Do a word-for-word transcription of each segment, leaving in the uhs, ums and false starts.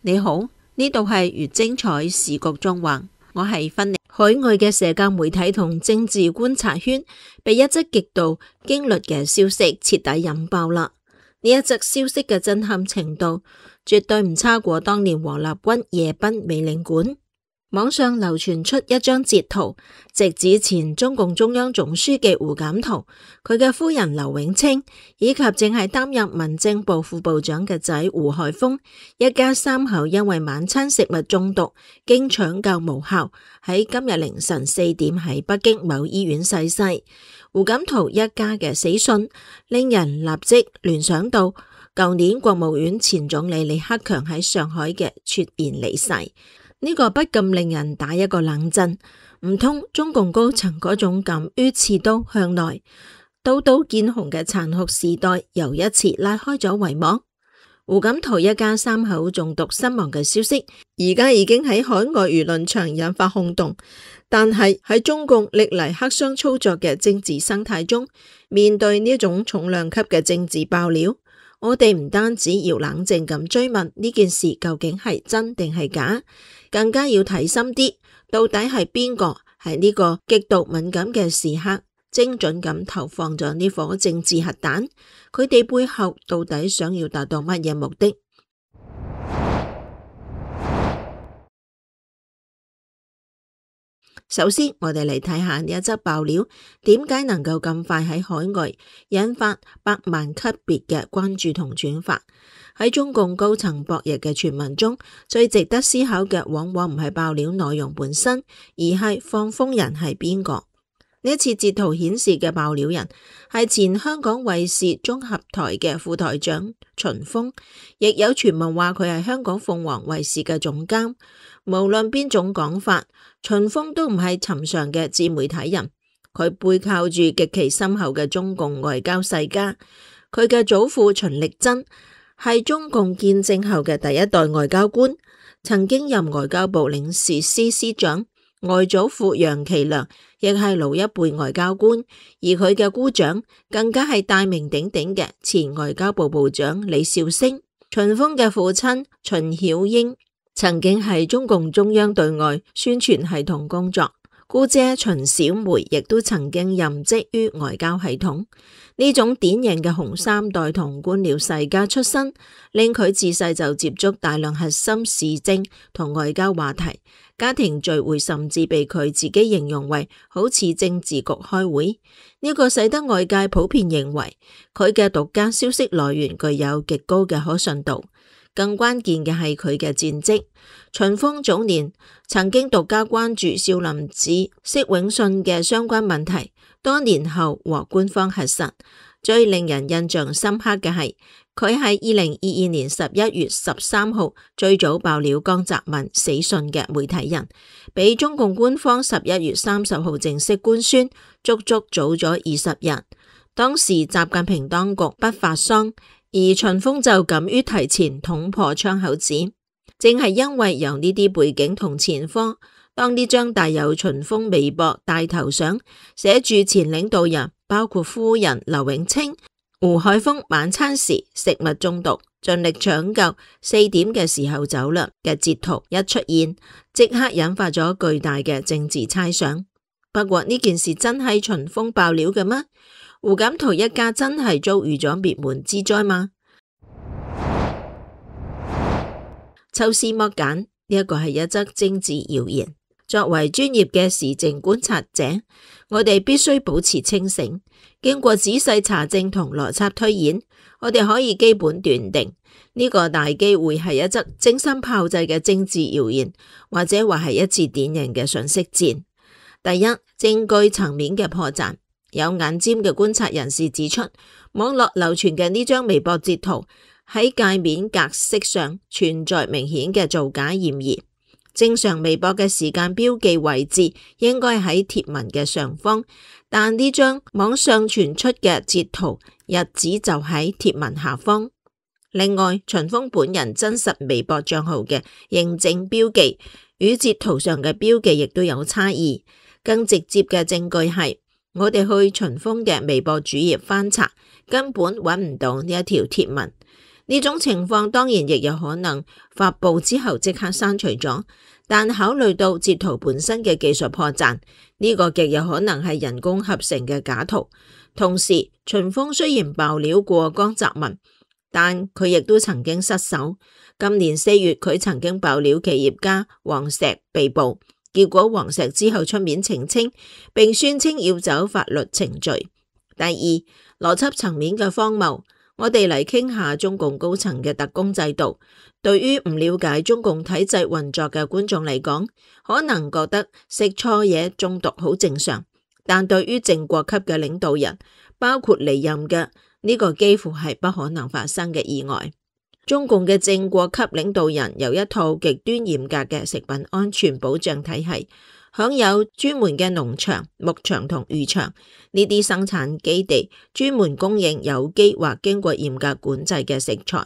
你好，呢度係越精彩時局縱橫，我係芬妮。海外嘅社交媒體同政治觀察圈被一則極度驚慄嘅消息徹底引爆啦！呢一則消息嘅震撼程度絕對唔差過當年王立軍夜奔美領館。網上流傳出一張截圖，直指前中共中央總書記胡錦濤、佢嘅夫人劉永清以及正係擔任民政部副部長嘅仔胡海峰一家三口因為晚餐食物中毒，經搶救無效，喺今日凌晨四點喺北京某醫院逝世。胡錦濤一家嘅死訊令人立即聯想到舊年國務院前總理李克強喺上海嘅猝然離世。呢個不禁令人打一個冷震，唔通中共高層嗰種敢於刺刀向內、刀刀見紅嘅殘酷時代又一次拉開咗帷幕？胡錦濤一家三口中毒身亡嘅消息，而家已經喺海外輿論場引發轟動，但係喺中共歷嚟黑箱操作嘅政治生態中，面對呢種重量級嘅政治爆料，我哋唔單止要冷靜咁追問呢件事究竟係真定係假，更加要睇深啲，到底係邊個喺呢個極度敏感嘅時刻，精準咁投放咗呢顆政治核彈？佢哋背後到底想要達到乜嘢目的？首先，我哋嚟睇下呢一則爆料，點解能夠咁快喺海外引發百萬級別嘅關注同轉發？喺中共高層博弈嘅傳聞中，最值得思考嘅往往唔係爆料內容本身，而係放風人係邊個。呢一次截圖顯示嘅爆料人係前香港衛視綜合台嘅副台長秦峰，亦有傳聞話佢係香港鳳凰衛視嘅總監。無論邊種講法，秦峰都唔係尋常嘅自媒體人，佢背靠住極其深厚嘅中共外交世家。佢嘅祖父秦力珍係中共建政後嘅第一代外交官，曾經任外交部領事司司長。外祖父楊其良亦係老一輩外交官，而佢嘅姑丈更加係大名鼎鼎嘅前外交部部長李兆星。秦峰嘅父親秦曉英曾經係中共中央對外宣傳系統工作，姑姐秦小梅亦都曾經任職於外交系統。呢種典型嘅紅三代同官僚世家出身，令佢自細就接觸大量核心時政同外交話題。家庭聚會甚至被佢自己形容為好似政治局開會，呢個使得外界普遍認為佢嘅獨家消息來源具有極高嘅可信度。更關鍵嘅係佢嘅戰績。秦峰早年曾經獨家關注少林寺釋永信嘅相關問題，多年後獲官方核實。最令人印象深刻嘅係，佢係二零二二年十一月十三號最早爆料江澤民死訊嘅媒體人，比中共官方十一月三十號正式官宣足足早咗二十日。當時習近平當局不發喪，而秦峰就敢於提前捅破窗口紙。正係因為有呢啲背景同前科，當呢張帶有秦峰微博大頭相，寫住前領導人包括夫人劉永清、胡海峰晚餐時食物中毒，盡力搶救，四點嘅時候走啦嘅截圖一出現，即刻引發咗巨大嘅政治猜想。不過呢件事真係秦峰爆料嘅咩？胡錦濤一家真係遭遇咗滅門之災嗎？抽絲剝繭，呢一個係一則政治謠言。作為專業嘅時政觀察者，我哋必須保持清醒。經過仔細查證同邏輯推演，我哋可以基本斷定呢個大機會係一則精心炮製嘅政治謠言，或者話係一次典型嘅信息戰。第一，證據層面嘅破綻。有眼尖嘅觀察人士指出，網絡流傳嘅呢張微博截圖喺界面格式上存在明顯嘅造假嫌疑。正常微博嘅時間標記位置應該喺貼文嘅上方，但呢張網上傳出嘅截圖日子就喺貼文下方。另外，秦峰本人真實微博賬號嘅認證標記與截圖上嘅標記亦都有差異。更直接嘅證據係，我哋去秦峰嘅微博主頁翻查，根本揾唔到呢一條貼文。呢種情況當然亦有可能發布之後即刻刪除咗，但考慮到截圖本身嘅技術破綻，呢個極有可能係人工合成嘅假圖。同時，秦風雖然爆料過江澤民，但佢亦都曾經失手。今年四月，佢曾經爆料企業家黃石被捕，結果黃石之後出面澄清，並宣稱要走法律程序。第二，邏輯層面嘅荒謬。我哋嚟傾下中共高層嘅特工制度。對於唔了解中共體制運作嘅觀眾嚟講，可能覺得食錯嘢中毒好正常，但對於正國級嘅領導人，包括離任嘅，呢個幾乎係不可能發生嘅意外。中共嘅正國級領導人有一套極端嚴格嘅食品安全保障體系，享有專門嘅農場、牧場同漁場，呢啲生產基地專門供應有機或經過嚴格管制嘅食材，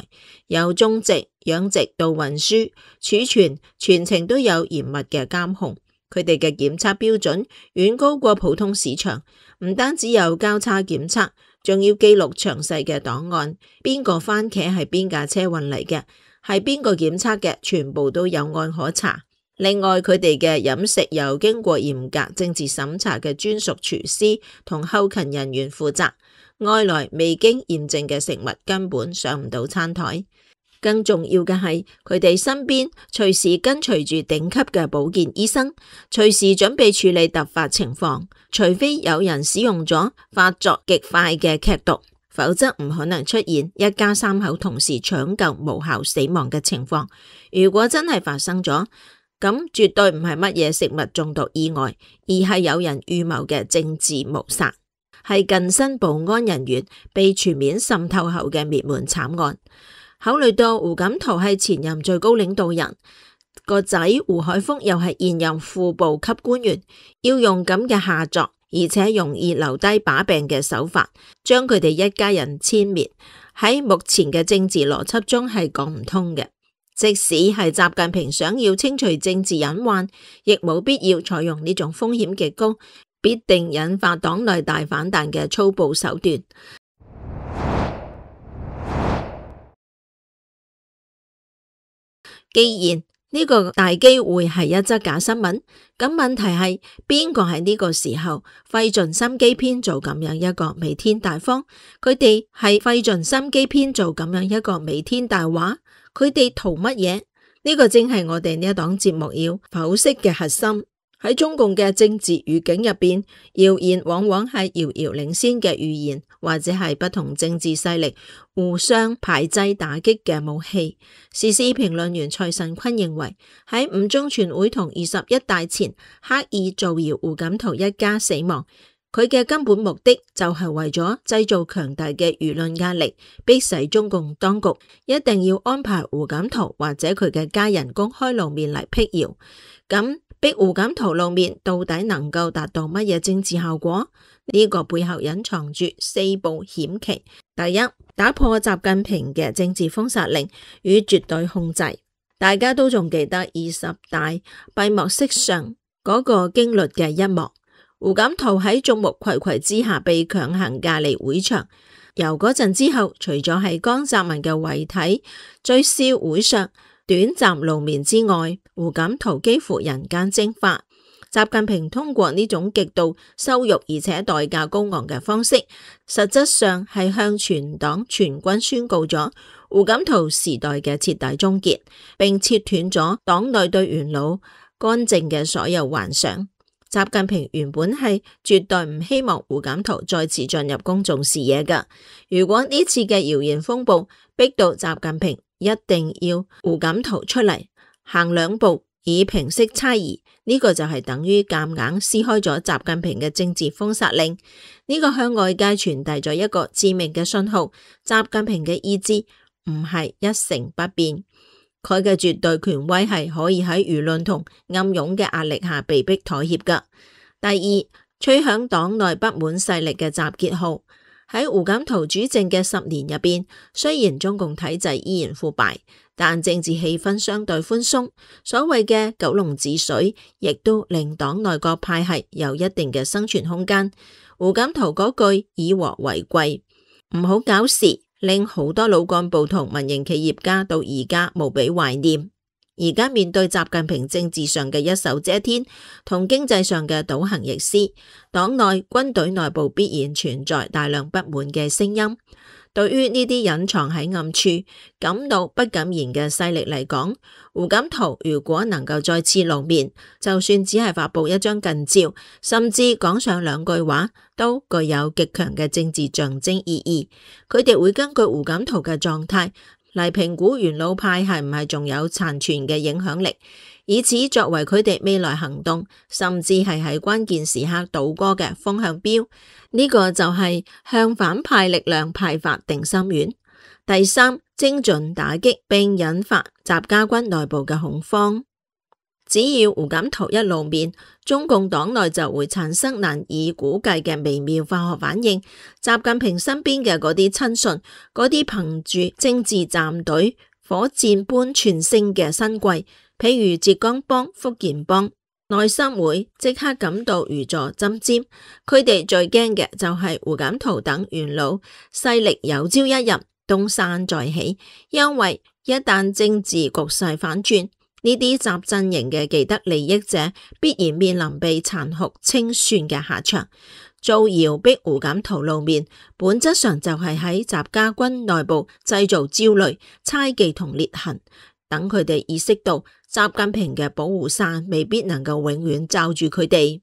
由種植、養殖到運輸、儲存，全程都有嚴密嘅監控。佢哋嘅檢測標準遠高過普通市場，唔單止有交叉檢測，仲要記錄詳細嘅檔案，邊個番茄係邊架車運嚟嘅，係邊個檢測嘅，全部都有案可查。另外，佢哋嘅飲食由經過嚴格政治審查嘅專屬廚師同後勤人員負責，外來未經驗證嘅食物根本上唔到餐台。更重要嘅係，佢哋身邊隨時跟隨住頂級嘅保健醫生，隨時準備處理突發情況，除非有人使用咗發作極快嘅劇毒，否則唔可能出現一家三口同時搶救無效死亡嘅情況。如果真係發生咗，咁絕對唔係乜嘢食物中毒意外，而係有人預謀嘅政治謀殺，係近身保安人員被全面滲透後嘅滅門慘案。考慮到胡錦濤係前任最高領導人，個仔胡海峰又係現任副部級官員，要用咁嘅下作，而且容易留低把柄嘅手法，將佢哋一家人殲滅，喺目前嘅政治邏輯中係講唔通嘅。即使係習近平想要清除政治隱患，亦冇必要採用呢種風險極高、必定引發黨內大反彈嘅粗暴手段。既然呢個大機會係一則假新聞，咁問題係邊個喺呢個時候費盡心機編造咁樣一個彌天大謊？佢哋係費盡心機編造咁樣一個彌天大話？佢哋圖乜嘢？呢個正係我哋呢一檔節目要剖析嘅核心。喺中共嘅政治語境入邊，謠言往往係遙遙領先嘅預言，或者係不同政治勢力互相排擠打擊嘅武器。時事評論員蔡慎坤認為，喺五中全會同二十一大前刻意造謠胡錦濤一家死亡，佢嘅根本目的就係為咗製造強大嘅輿論壓力，迫使中共當局一定要安排胡錦濤或者佢嘅家人公開露面嚟闢謠。咁逼胡錦濤露面到底能夠達到乜嘢政治效果？呢個背後隱藏住四步險棋。第一，打破習近平嘅政治封殺令與絕對控制。大家都仲記得二十大閉幕式上嗰個驚慄嘅一幕。胡錦濤喺眾目睽睽之下被強行架離會場，由嗰陣之後，除咗係江澤民嘅遺體追思會上短暫露面之外，胡錦濤幾乎人間蒸發。習近平通過呢種極度羞辱而且代價高昂嘅方式，實質上係向全黨全軍宣告咗胡錦濤時代嘅徹底終結，並切斷咗黨內對元老干政嘅所有幻想。習近平原本係絕對唔希望胡錦濤再次進入公眾視野㗎。如果呢次嘅謠言風暴逼到習近平一定要胡錦濤出嚟行兩步以平息猜疑，呢個就係等於夾硬撕開咗習近平嘅政治封殺令。呢個向外界傳遞咗一個致命嘅信號：習近平嘅意志唔係一成不變。佢嘅絕對權威係可以喺輿論同暗湧嘅壓力下被迫妥協㗎。第二，吹響黨內不滿勢力嘅集結號。喺胡錦濤主政嘅十年入邊，雖然中共體制依然腐敗，但政治氣氛相對寬鬆，所謂嘅九龍治水，亦都令黨內各派系有一定嘅生存空間。胡錦濤嗰句以和為貴，唔好搞事，令好多老幹部同民營企業家到而家無比懷念。而家面對習近平政治上嘅一手遮天同經濟上嘅倒行逆施，黨內軍隊內部必然存在大量不滿嘅聲音。對於呢啲隱藏喺暗處、敢怒不敢言嘅勢力嚟講，胡錦濤如果能夠再次露面，就算只係發佈一張近照，甚至講上兩句話，都具有極強嘅政治象徵意義。佢哋會根據胡錦濤嘅狀態嚟評估元老派係唔係仲有殘存嘅影響力，以此作為佢哋未來行動，甚至係喺關鍵時刻倒戈嘅風向標。呢、這個就係向反派力量派發定心丸。第三，精準打擊並引發習家軍內部嘅恐慌。只要胡錦濤一露面，中共黨內就會產生難以估計嘅微妙化學反應。習近平身邊嘅嗰啲親信，嗰啲憑住政治站隊火箭般竄升嘅新貴，譬如浙江幫、福建幫，內心會即刻感到如坐針氈。佢哋最驚嘅就係胡錦濤等元老勢力有朝一日東山再起，因為一旦政治局勢反轉，呢啲習陣營嘅既得利益者必然面臨被殘酷清算嘅下場。造謠逼胡錦濤露面，本質上就係喺習家軍內部製造焦慮、猜忌同裂痕，等佢哋意識到習近平嘅保護傘未必能夠永遠罩住佢哋。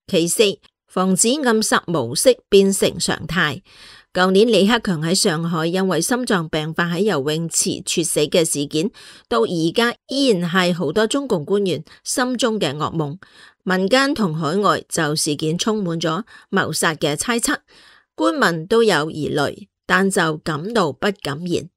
其四，防止暗殺模式變成常態。舊年李克強喺上海因為心臟病發喺游泳池猝死嘅事件，到而家依然係好多中共官員心中嘅噩夢。民間同海外就事件充滿咗謀殺嘅猜測，官民都有疑慮，但就敢怒不敢言。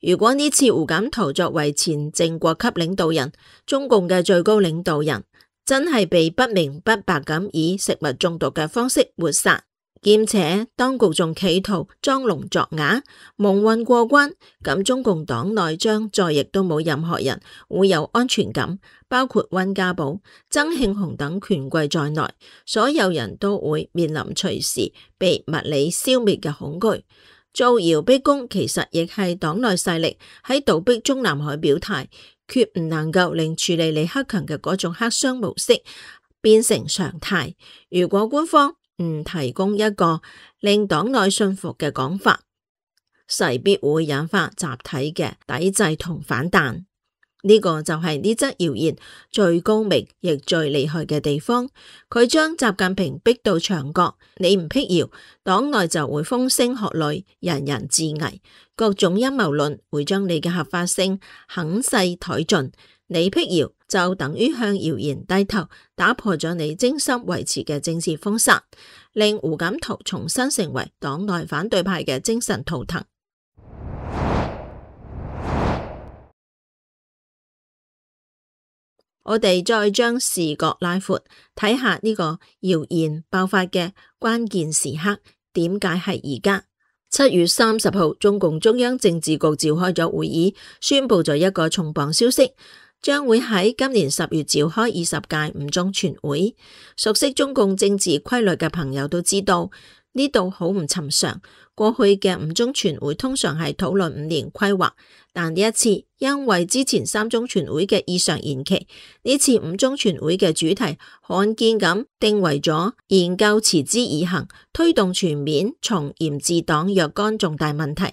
如果呢次胡錦濤作為前正國級領導人，中共嘅最高領導人，真係被不明不白咁以食物中毒嘅方式抹殺，兼且當局仲企圖裝聾作啞，蒙混過關，咁中共黨內將再亦都冇任何人會有安全感，包括溫家寶、曾慶紅等權貴在內，所有人都會面臨隨時被物理消滅嘅恐懼。造謠逼宮其實亦係黨內勢力喺倒逼中南海表態，決唔能夠令處理李克強嘅嗰種黑箱模式變成常態。如果官方唔提供一個令黨內信服嘅講法，勢必會引發集體嘅抵制同反彈。呢個就係呢則謠言最高明亦最厲害嘅地方，佢將習近平逼到牆角，你唔闢謠，黨內就會風聲鶴唳，人人自危，各種陰謀論會將你嘅合法性狠勢殆盡，你闢謠就等於向謠言低頭，打破咗你精心維持嘅政治封殺，令胡錦濤重新成為黨內反對派嘅精神圖騰。我哋再將視角拉闊，睇下呢個謠言爆發嘅關鍵時刻，點解係而家？七月三十號，中共中央政治局召開咗會議，宣布咗一個重磅消息，將會喺今年十月召開二十屆五中全會。熟悉中共政治規律嘅朋友都知道，呢度好唔尋常。過去嘅五中全會通常係討論五年規劃，但呢一次因為之前三中全會嘅異常延期，呢次五中全會嘅主題罕見咁定為咗研究持之以恆，推動全面從嚴治黨若干重大問題。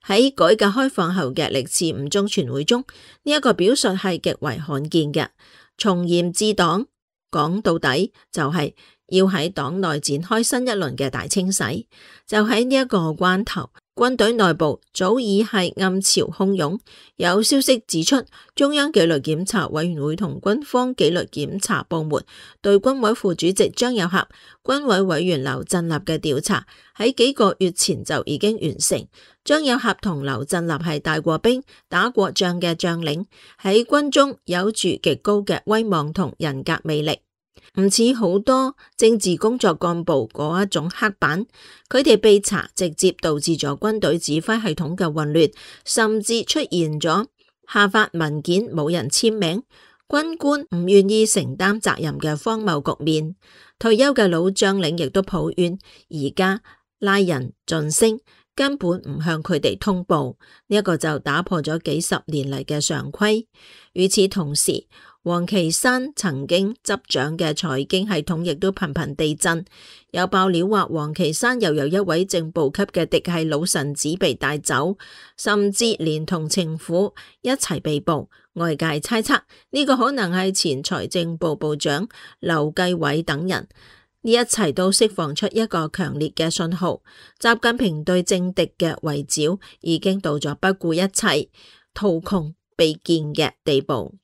喺改革開放後嘅歷次五中全會中，呢、這、一個表述係極為罕見嘅。從嚴治黨講到底就係、是。要喺黨內展開新一輪嘅大清洗，就喺呢一個關頭，軍隊內部早已係暗潮洶湧。有消息指出，中央紀律檢查委員會同軍方紀律檢查部門對軍委副主席張又俠、軍委委員劉振立嘅調查喺幾個月前就已經完成。張又俠同劉振立係帶過兵、打過仗嘅將領，喺軍中有住極高嘅威望同人格魅力。唔似好多政治工作幹部嗰一種黑板，佢哋被查直接導致咗軍隊指揮系統嘅混亂，甚至出現咗下發文件冇人簽名，軍官唔願意承擔責任嘅荒謬局面。退休嘅老將領亦都抱怨，而家拉人晉升，根本唔向佢哋通報，呢一個就打破咗幾十年嚟嘅常規。與此同時，王岐山曾經執掌嘅財經系統亦都頻頻地震，有爆料話王岐山又有一位正部級嘅嫡系老臣子被帶走，甚至連同情婦一齊被捕。外界猜測呢個可能係前財政部部長劉繼偉等人。呢一切都釋放出一個強烈嘅信號，習近平對政敵嘅圍剿已經到咗不顧一切、圖窮匕見嘅地步。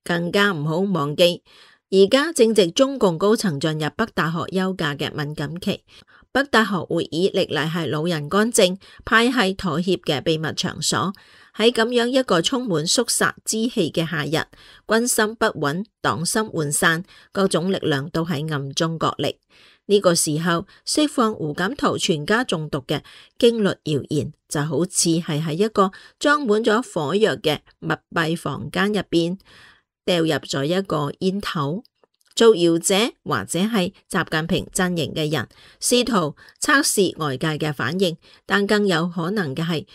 更加唔好忘記，而家正值中共高層進入北大學休假嘅敏感期。北大學會議歷來係老人干政、派系妥協嘅秘密場所。喺咁樣一個充滿肅殺之氣嘅夏日，軍心不穩、黨心渙散，各種力量都喺暗中角力。呢個時候釋放胡錦濤全家中毒嘅驚慄謠言，就好似係喺一個裝滿咗火藥嘅密閉房間入邊掉入咗一個煙頭。造謠者或者係習近平陣營嘅人，試圖測試外界嘅反應，但更有可能嘅係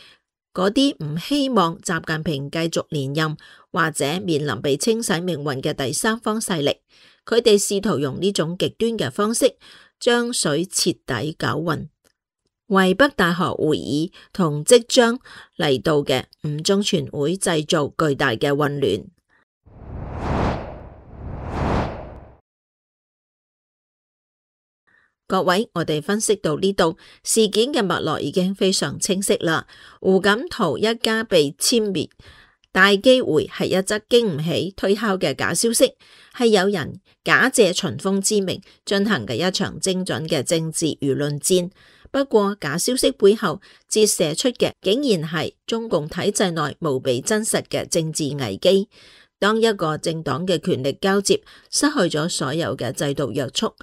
嗰啲唔希望習近平繼續連任或者面臨被清洗命運嘅第三方勢力，佢哋試圖用呢種極端嘅方式將水徹底攪渾，為北大學會議同即將嚟到嘅五中全會製造巨大嘅混亂。各位，我哋分析到呢度，事件嘅脈絡已經非常清晰啦。胡錦濤一家被殲滅，大機會係一則經唔起推敲嘅假消息，係有人假借秦風之名進行嘅一場精準嘅政治輿論戰。不過假消息背後折射出嘅竟然係中共體制內無比真實嘅政治危機。當一個政黨嘅權力交接失去咗所有嘅制度約束，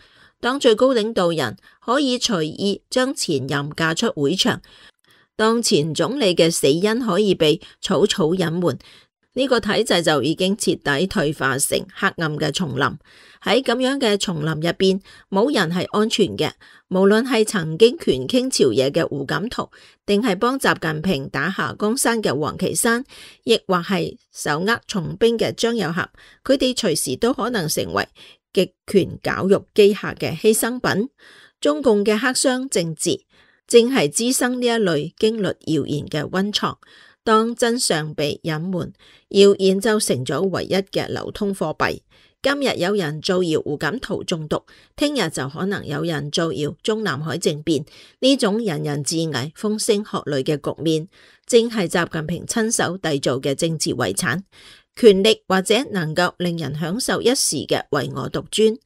當最高領導人可以隨意將前任嫁出會場，當前總理嘅死因可以被草草隱瞞，呢個體制就已經徹底退化成黑暗嘅叢林。喺咁樣嘅叢林入邊，冇人係安全嘅。無論係曾經權傾朝野嘅胡錦濤，定係幫習近平打下江山嘅王岐山，亦或係手握重兵嘅張又俠，佢哋隨時都可能成為極權絞肉機下嘅犧牲品。中共嘅黑箱政治正係滋生呢一類驚慄謠言嘅溫床。當真相被隱瞞，謠言就成咗唯一嘅流通貨幣。今日有人造謠胡錦濤中毒，聽日就可能有人造謠中南海政變。呢種人人自危、風聲鶴唳嘅局面，正係習近平親手締造嘅政治遺產。權力或者能夠令人享受一時嘅唯我獨尊，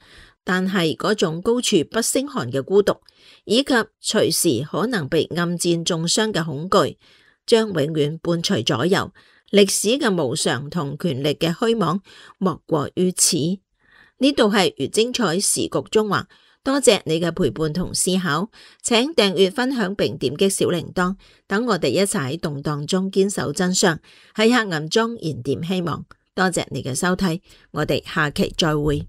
但係嗰種高處不勝寒嘅孤獨，以及隨時可能被暗箭中傷嘅恐懼，將永遠伴隨左右。歷史嘅無常同權力嘅虛妄，莫過於此。呢度係越精彩時局中話，多謝你嘅陪伴同思考，請訂閱、分享並點擊小鈴鐺，等我哋一齊喺動盪中堅守真相，喺黑暗中燃點希望。多謝你嘅收睇，我哋下期再會。